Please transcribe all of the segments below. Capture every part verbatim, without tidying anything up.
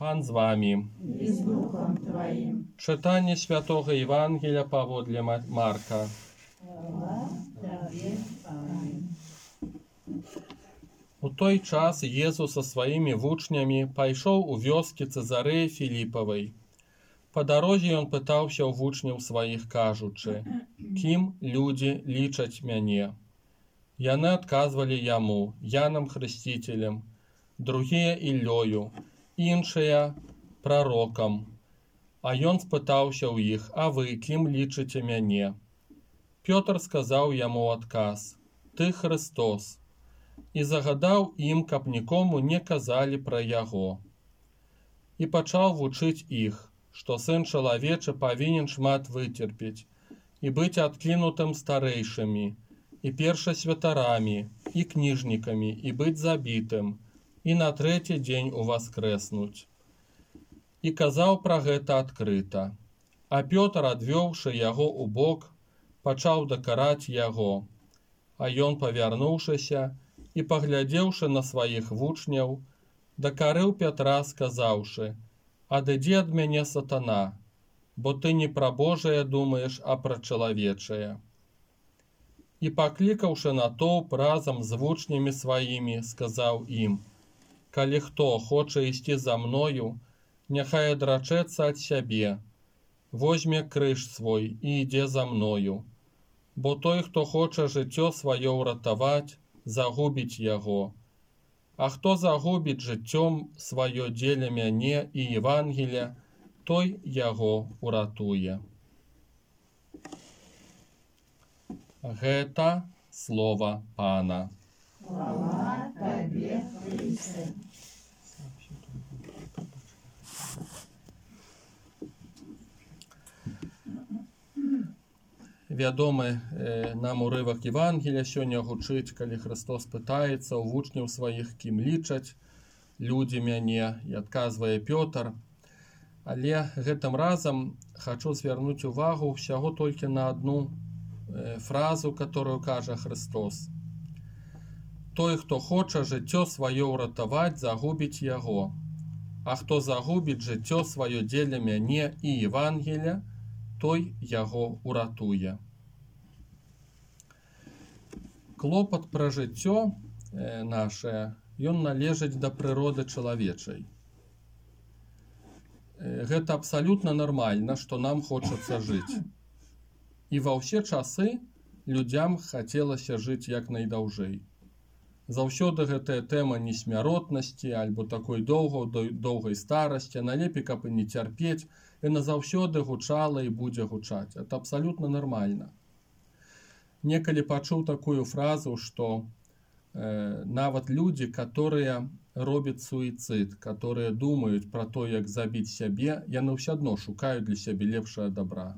Пан з вами. И с Духом Твоим. Читання Святого Євангелія паводле Марка. Слава Тебе, Пане. У той час Єзус со своїми вучнями пайшов у вёскі Цезареі Філіпавай. По дорозі ён пытаўся ў вучняў сваіх, кажучы: «Кім людзі лічаць мяне?» Яны адказвалі яму: Янам Хрысціцелем, другія Іллёю, іншыя прарокам. А ён спытаўся ў іх: «А вы кім лічыце мяне?» Пётр сказаў яму ў адказ: «Ты Христос». І загадаў ім, каб нікому не казалі пра яго. І пачаў вучыць іх, што сын чалавечы павінен шмат выцерпець і быць адкінутым старэйшымі, і першасвятарамі, і кніжнікамі, і быць забітым, і на трэці дзень уваскрэснуць. І казаў пра гэта адкрыта. А Пётр, адвёўшы яго ў бок, пачаў дакараць яго. А ён, павярнуўшыся і паглядзеўшы на сваіх вучняў, дакарыў Пятра, сказаўшы: «Адыдзі ад мяне, сатана, бо ты не пра Божае думаеш, а пра чалавечае». І, паклікаўшы натоўп разам з вучнямі сваімі, сказаў ім: «Калі хто хоча ісці за мною, няхай адрачэцца ад сябе, возьме крыж свой і ідзе за мною. Бо той, хто хоча жыццё сваё ўратаваць, загубіць яго. А хто загубіць жыццём сваё дзеля мяне і Евангелія, той яго ўратуе». Гэта слова Пана. Слава Тебе, Христе. Вядомы э, нам урывак Евангелія сёння гучыць, калі Христос пытаецца ў вучняў сваіх, кім лічаць людзі мяне, і адказвае Пётр. Але гэтым разам хачу звярнуць увагу ўсяго толькі на адну э, фразу, которую кажа Христос. «Той, хто хоча жыццё сваё ўратаваць, загубіць яго. А хто загубіць жыццё сваё дзеля мяне і Евангелія, той яго ўратуе». Клопат пра жыццё э, наше, ён належыць да прыроды чалавечай. Э, гэта абсалютна нармальна, што нам хочацца жыць. І ва ўсе часы людзям хацелася жыць як найдаўжэй. Заўсёды гэтая тэма несмяротнасці альбо такой доўгай, доўгай старасці, налепей, каб і не цярпець, яна заўсёды гучала і будзе гучаць. Это абсалютна нармальна. Некалі пачуў такую фразу, што э, нават людзі, которые робяць суіцыд, которые думаюць пра то, як забіць сябе, яны ўсё адно шукаюць для сябе лепшае добра.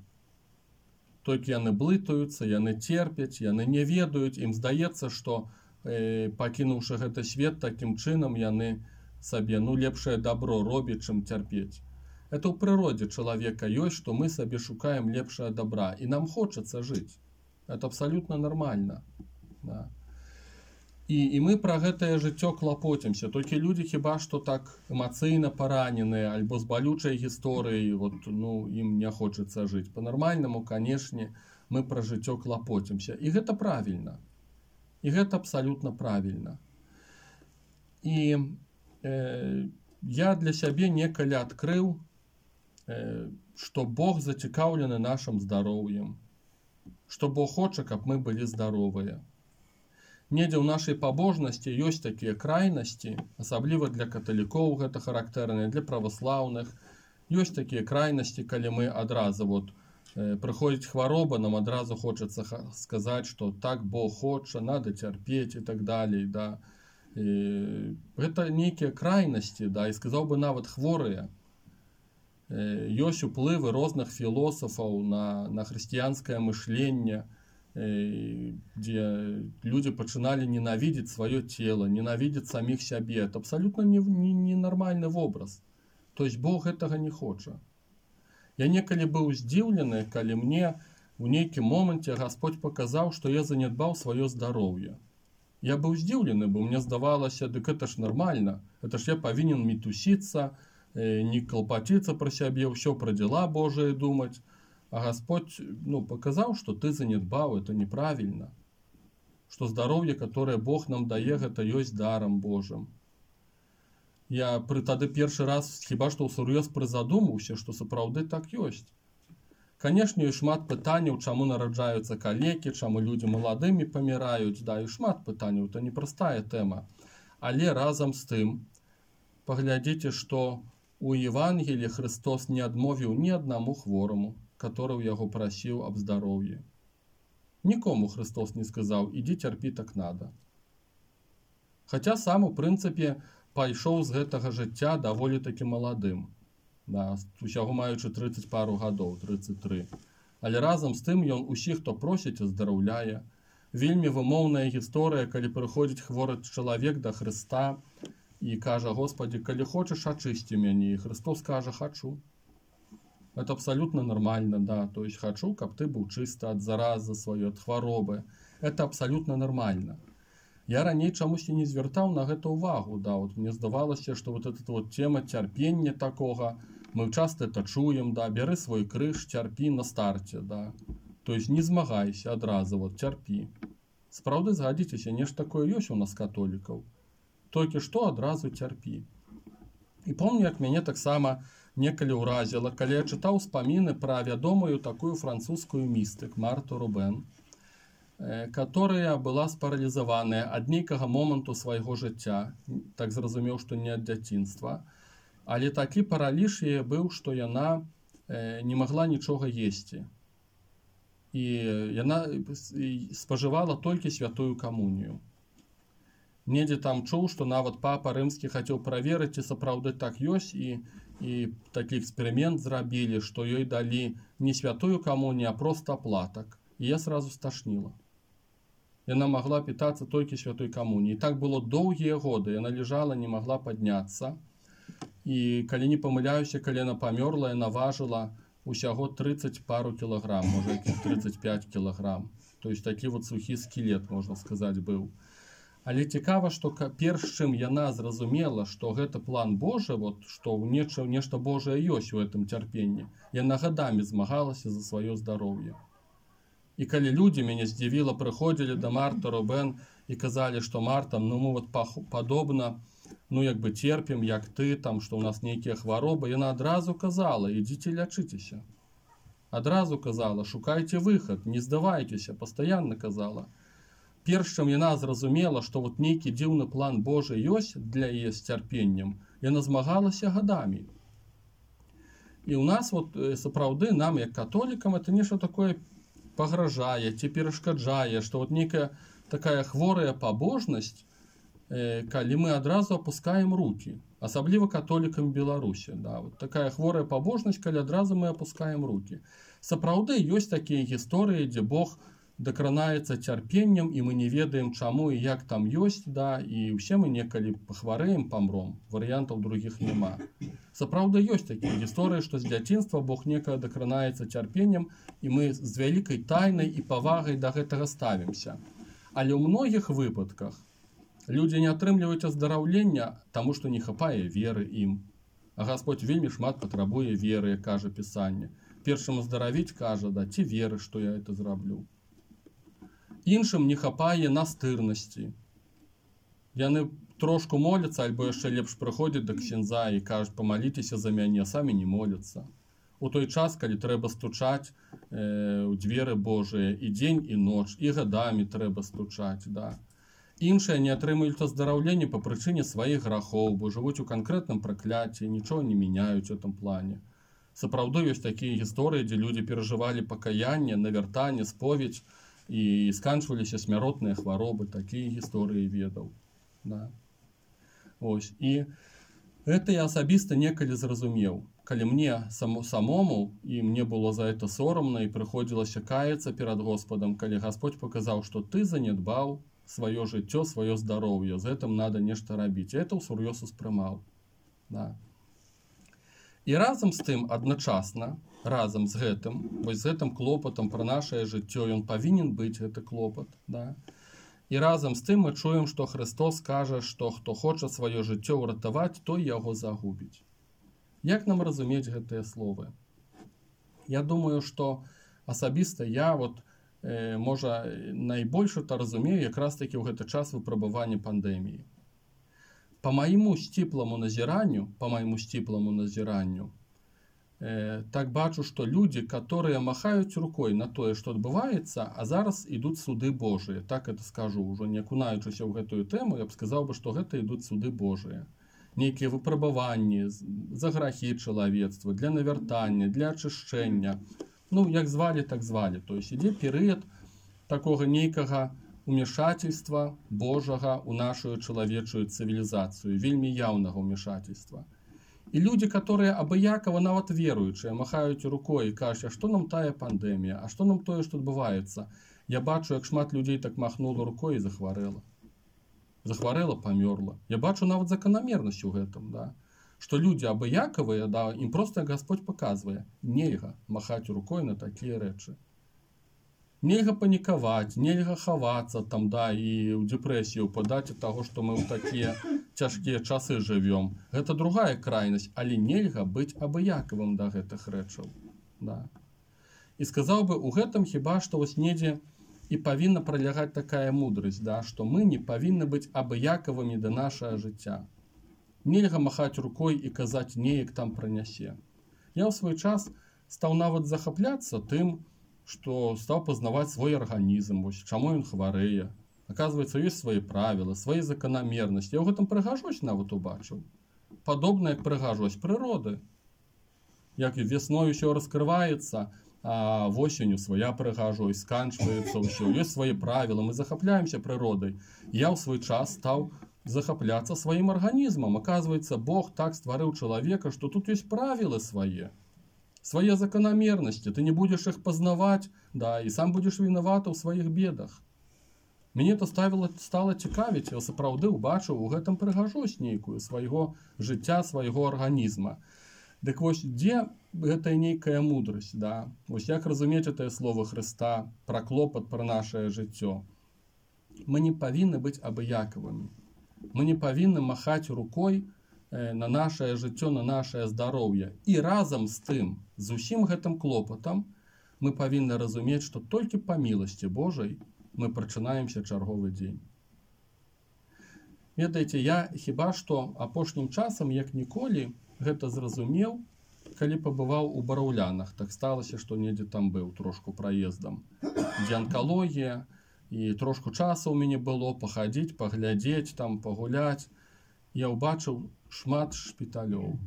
Толькі яны блытаюцца, яны церпяць, яны не ведаюць, ім здаецца, што э, пакінуўшы гэты свет, такім чынам яны сабе ну лепшае добро робяць, чым цярпець. Это ў прыродзе чалавека ёсць, што мы сабе шукаем лепшае добра, і нам хочацца жыць. Это абсалютна нармальна. Да. І, і мы пра гэтае жыццё клапоцімся. Толькі людзі хіба што так эмацыйна параненыя альбо з балючай гісторыяй, вот, ну, ім не хочацца жыць. Па-нармальнаму, канешне, мы пра жыццё клапоцімся. І гэта правільна. І гэта абсалютна правільна. І э, я для сябе некалі адкрыў, э, што Бог зацікаўлены нашым здароўем. Што Бог хоча, каб мы былі здаровыя. Недзе ў нашай пабожнасці ёсць такія крайнасці, асабліва для каталікоў гэта характэрна, для праваслаўных. Ёсць такія крайнасці, калі мы адразу вот, э, прыходзіць хвароба, нам адразу хочацца сказаць, што так Бог хоча, надо цярпець і так далей. Да. І гэта нейкія крайнасці, да, і сказаў бы нават хворыя. Ёсць уплывы розных філосафаў на, на хрысціянскае мышленне, дзе людзі пачыналі ненавідзець сваё цела, ненавідзець саміх сябе. Это абсалютна ненармальны вобраз. То есть Бог гэтага не хоча. Я некалі быў здзіўлены, калі мне у нейкім моманце Гасподзь паказаў, што я занядбаў сваё здароўе. Я быў здзіўлены, бо мне здавалася, дык это ж нармальна. Это ж я павінен мітусіцца, не клопаціцца пра сябе, ўсё пра дзела Божыя думаць. А Господь ну, паказаў, што ты занядбаў, это неправільна. Што здароўе, которое Бог нам дае, гэта ёсць дарам Божым. Я пры тады першы раз хіба што ўсур'ёз прызадумаўся, што сапраўды так ёсць. Канешне, і шмат пытанняў, чаму нараджаюцца калекі, чаму людзі маладымі паміраюць, да, і шмат пытанняў, это непростая тэма. Але разам з тым, паглядзіце, што у Евангеліі Христос не адмовіў ні аднаму хвораму, который ў яго прасіў аб здароўі. Нікому Христос не сказаў, ідзі цярпі так надо. Хаця сам, у прынцыпе, пайшоў з гэтага жыцця даволі такі маладым. Да, усяго маючы трыццаць пару гадоў, трыццаць тры. Але разам з тым ён усіх, хто просіць, аздараўляе. Вельмі вымоўная гісторыя, калі прыходзіць хворы чалавек да Хрыста і кажа: Господі, калі хочаш, ачысці мяне. І Христос кажа: хачу. Это абсолютно нормально, да. То есть хочу, каб ты быў чысты ад заразы сваёй, ад хваробы. Это абсолютно нормально. Я раней чамусьці не звяртаў на гэта ўвагу, да. Вот мне здавалася, што вот эта вот тема цярпення такога, мы часто это чуем, да, бяры свой крыж, цярпі на старце, да. То есть не змагайся адразу, вот цярпі. Сапраўды, згадзіцеся, нешта такое ёсць у нас католікаў. Толькі што адразу цярпі. І помню, як мяне таксама некалі ўразіла, калі я чытаў успаміны пра вядомую такую французскую містык Марту Рубен, которая была спаралізаваная ад нейкага моманту свайго жыцця, так зразумеў, што не ад дзяцінства, але такі параліж яе быў, што яна не магла нічога есці. І яна спажывала толькі святую камунію. Недзе там чуў, што нават папа рымскі хацеў праверыць, ці сапраўды так ёсць, і, і такі эксперымент зрабілі, што ёй далі не святую камунію, а проста аплатак. І я сразу сташніла. Яна магла пітацца толькі святой камуніі. І так было доўгія годы. Яна лежала, не магла падняцца. І калі не памыляюся, калі яна памёрла, яна важыла усяго трыццаць пару кілаграм, можа, трыццаць пяць кілаграм. То есть такі вот сухі скелет, можна сказаць, быў. Але цікава, што перш чым яна зразумела, што гэта план Божы, вот, што нешта, нешта Божае ёсць у гэтым цярпенні, яна гадамі змагалася за сваё здароўе. І калі людзі, мяне здзівіла, прыходзілі да Марты Рубен і казалі, што Марта, ну мы вот падобна, ну як бы церпім, як ты, там, што ў нас нейкія хваробы, яна адразу казала: ідзіце лячыцеся. Адразу казала: шукайце выхад, не здавайцеся, пастаянна казала. Перш чым яна зразумела, што вот нейкі дзіўны план Божы ёсць для яе з цярпеннем, яна змагалася гадамі. І ў нас вот сапраўды, нам як католікам, это нешта такое пагражае ці перашкаджае, што вот нейкая такая хворая пабожнасць, э, калі мы адразу апускаем руки, асабліва католікам Беларусі, да, вот такая хворая пабожнасць, калі адразу мы апускаем руки. Сапраўды ёсць такія гісторыі, дзе Бог дакранаецца цярпеннем, і мы не ведаем, чаму і як там ёсць, да, і ўсе мы некалі пахварэем, памром, варыянтаў другіх няма. Сапраўды ёсць такія гісторыі, што з дзяцінства Бог некага дакранаецца цярпеннем, і мы з вялікай тайнай і павагай да гэтага ставімся. Але ў многіх выпадках людзі не атрымліваюць аздараўлення, таму што не хапае веры ім. А Господь вельмі шмат патрабуе веры, як кажа Пісанне. Першым аздаравіць кажа: да, ці веры, што я это зраблю. Іншым не хапае настырнасці. Яны трошку моляцца, альбо яшчэ лепш прыходзяць да ксяндза і кажуць: памаліцеся за мяне, самі не моляцца. У той час, калі трэба стучаць э, у дзверы Божыя і дзень, і ноч, і гадамі трэба стучаць, да. Іншыя не атрымаюць аздараўленне па прычыне сваіх грахоў, бо жывуць у канкрэтным пракляцці, нічого не мяняюць у гэтым плане. Сапраўды ёсць такія гісторыі, дзе людзі перажывалі пакаянне, навяртанне, споведь, і сканчваліся смяротныя хваробы, такія гісторыі ведаў. Да. Ось. І гэта я асабіста некалі зразумеў. Калі мне само, самому, і мне было за это сорамна, і прыходзілася каяцца перад Господам, калі Господь паказаў, што ты занядбаў сваё жыццё, сваё здароўе, з гэтым надо нешта рабіць. І это ўсур'ёз успрымаў. Да. І разам з тым, адначасна, разам з гэтым, вось з гэтым клопатам пра нашае жыццё, ён павінен быць, гэты клопат, да. І разам з тым мы чуем, што Христос кажа, што хто хоча сваё жыццё ўратаваць, той яго загубіць. Як нам разумець гэтыя словы? Я думаю, што асабіста я вот, э, можа найбольш это разумею якраз такі ў гэты час выпрабавання пандэміі. По майму сціпламу назіранню, по майму сціпламу назіранню, э, так бачу, што людзі, которые махаюць рукой на тое, што адбываецца, а зараз ідуць суды Божыя. Так это скажу, ужо не акунаючыся ў гэтую тэму, я б сказаў бы, што гэта ідуць суды Божыя. Нейкія выпрабаванні за грахі чалавецтва, для навяртання, для ачышчэння. Ну, як звалі, так звалі. То есть ідзе перыяд такога нейкага умешательства Божага ў нашу чалавечую цывілізацыю, вельмі яўнага умешательства. І людзі, которые абыякава нават веруючыя, махаюць рукой і кажуць, а што нам тая пандэмія, а што нам тое, што адбываецца? Я бачу, як шмат людзей так махнула рукой і захварэла. Захварэла, памёрла. Я бачу нават заканамернасць у гэтым, да? Што людзі абыякавыя, да, ім проста Гасподзь паказвае, нельга махаць рукой на такія рэчы. Нельга панікаваць, нельга хавацца там, да, і ў дэпрэсію падаць ад таго, што мы ў такія цяжкія часы жывём. Гэта другая крайнасць, але нельга быць абыякавым да гэтых рэчаў. Да. І сказаў бы, у гэтым хіба што вось недзе і павінна пралягаць такая мудрасць, да, што мы не павінны быць абыякавымі да нашага жыцця. Нельга махаць рукой і казаць неяк там пранясе. Я ў свой час стаў нават захапляцца тым, што стаў пазнаваць свой арганізм, вось, чаму ён хварэе. Аказваецца, ёсць свае правілы, свае заканамернасці. Я ў гэтым прыгажосць нават убачыў. Падобна як прыгажосць прыроды. Як весной усё раскрываецца, а восенню свая прыгажосць, сканчваецца ўсё, ёсць свае правілы, мы захапляемся прыродай. Я ў свой час стаў захапляцца сваім арганізмам. Аказваецца, Бог так стварыў чалавека, што тут ёсць правілы свае. Свае заканамернасці, ты не будзеш іх пазнаваць, да, і сам будзеш вінаваты ў сваіх бедах. Мяне то ставіла, стала цікавіць, я сапраўды ўбачыў у гэтым прыгажосць нейкую свайго жыцця, свайго арганізма. Дык вось, дзе гэтая нейкая мудрасць, да? Вось як разумець гэтае слово Хрыста, пра клопат, пра нашае жыццё? Мы не павінны быць абыякавымі. Мы не павінны махаць рукой на нашае жыццё, на нашае здароўе. І разам з тым, з усім гэтым клопатам, мы павінны разумець, што толькі па міласці Божай мы прачынаемся чарговы дзень. Ведаеце, я хіба што апошнім часам, як ніколі, гэта зразумеў, калі пабываў у Бараўлянах. Так сталася, што недзе там быў трошку праездам. Дзе анкалогія, і трошку часу ў мяне было пахадзіць, паглядзець, там пагуляць. Я ўбачыў шмат шпіталёў,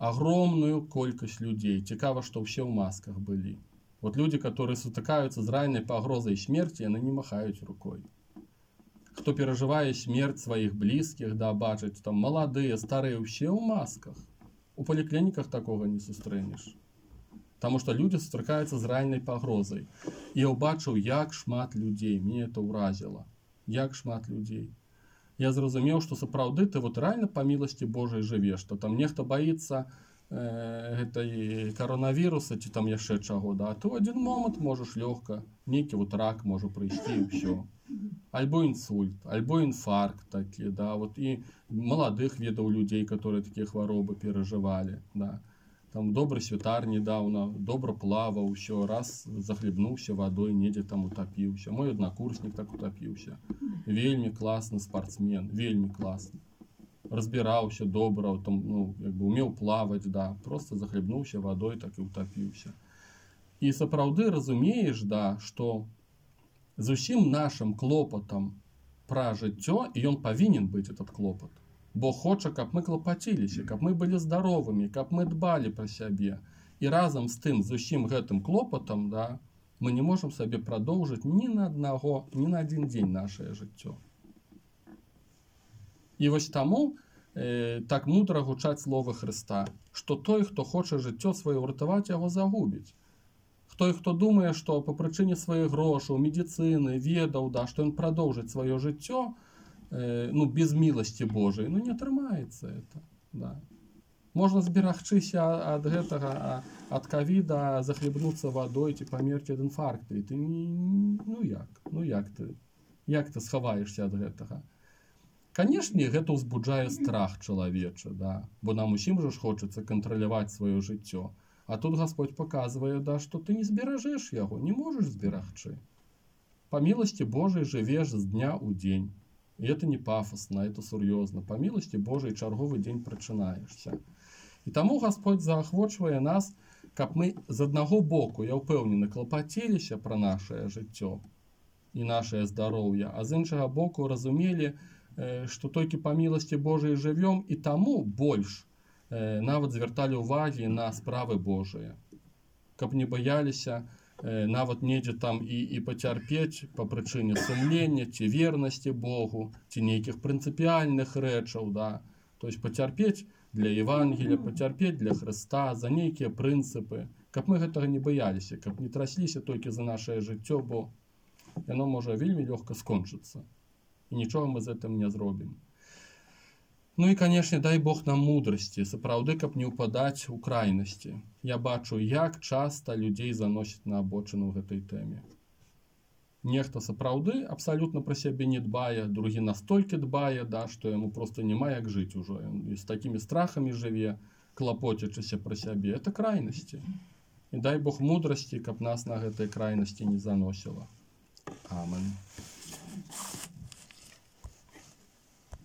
агромную колькасць людзей. Цікава, што ўсе ў масках былі. Вот люди, которые сутыкаюцца з рэальнай пагрозай смерці, яны не махаюць рукой. Хто перажывае смерць сваіх блізкіх, да, бачыць, там маладыя, старыя, ўсе ў масках. У паліклініках такога не сустрэнеш. Таму што людзі сустракаюцца з рэальнай пагрозай. І я ўбачыў, як шмат людзей, мне это ўразіла. Як шмат людзей. Я зразумеў, што сапраўды ты вот рэальна па міласці Божай жывеш, што там нехта баіцца э, гэтай каронавіруса ці там яшчэ чаго, да, а ты ў адзін момант можаш лёгка, нейкі вот рак можа прыйсці і ўсё. Альбо інсульт, альбо інфаркт такі, да, вот і маладых ведаў людзей, которые такія хваробы перажывалі, да. Там добры святар недаўна, добра плаваў, усё, раз захлебнуўся вадой, недзе там утапіўся. Мой аднакурснік так утапіўся. Вельмі класны спартсмен, вельмі класны. Разбіраўся добра, там, ну, як бы умеў плаваць, да, просто захлебнуўся вадой, так і утапіўся. І сапраўды разумееш, да, што з усім нашым клопатам пра жыццё, і ён павінен быць этот клопат. Бог хоча, каб мы клапаціліся, каб мы былі здаровымі, каб мы дбалі пра сябе. І разам з тым, з усім гэтым клопатам, да, мы не можам сабе прадоўжыць ні на аднаго, ні на адзін дзень нашае жыццё. І вось таму э, так мудра гучаць словы Хрыста, што той, хто хоча жыццё сваё ўратаваць, яго загубіць. Той, хто думае, што па прычыне сваіх грошаў, медыцыны, ведаў, да, што ён прадоўжыць сваё жыццё, ну, без міласці Божай, ну, не атрымаецца это, да. Можна зберагчыся ад гэтага, ад ковіда, захлебнуцца вадой ці памерці ад інфаркту, і ты не, ну як, ну як ты, як ты схаваешся ад гэтага? Канешне, гэта ўзбуджае страх чалавечы, да? Бо нам усім жа ж хочацца кантраляваць сваё жыццё. А тут Гасподь паказвае, да, што ты не зберажэш яго, не можаш зберагчы. Па міласці Божай жывеш з дня ў дзень. І это не пафосна, это сур'ёзна. Па міласці Божай чарговы дзень прачынаешся. І таму Гасподь заахвочвае нас, каб мы з аднаго боку, я ўпэўнены, клапаціліся пра нашае жыццё і нашае здароўе, а з іншага боку разумелі, што толькі па міласці Божай жывём, і таму больш нават звярталі ўвагі на справы Божыя. Каб не баяліся нават недзе там і, і пацярпець па прычыне сумлення ці вернасці Богу, ці нейкіх прынцыпіяльных рэчаў, да? То есть пацярпець для Евангелія, пацярпець для Хрыста, за нейкія прынцыпы, каб мы гэтага не баяліся, каб не трасліся толькі за нашае жыццё, бо яно можа вельмі лёгка скончыцца. І нічога мы з гэтым не зробім. Ну і, канешне, дай Бог нам мудрасці, сапраўды, каб не ўпадаць у крайнасці. Я бачу, як часта людзей заносіць на абочыну ў гэтай тэме. Нехта сапраўды абсалютна пра сябе не дбае, другі настолькі дбае, да, што яму проста няма як жыць ужо. І з такімі страхамі жыве, клапоцячыся пра сябе. Это крайнасці. І дай Бог мудрасці, каб нас на гэтай крайнасці не заносіла. Амен.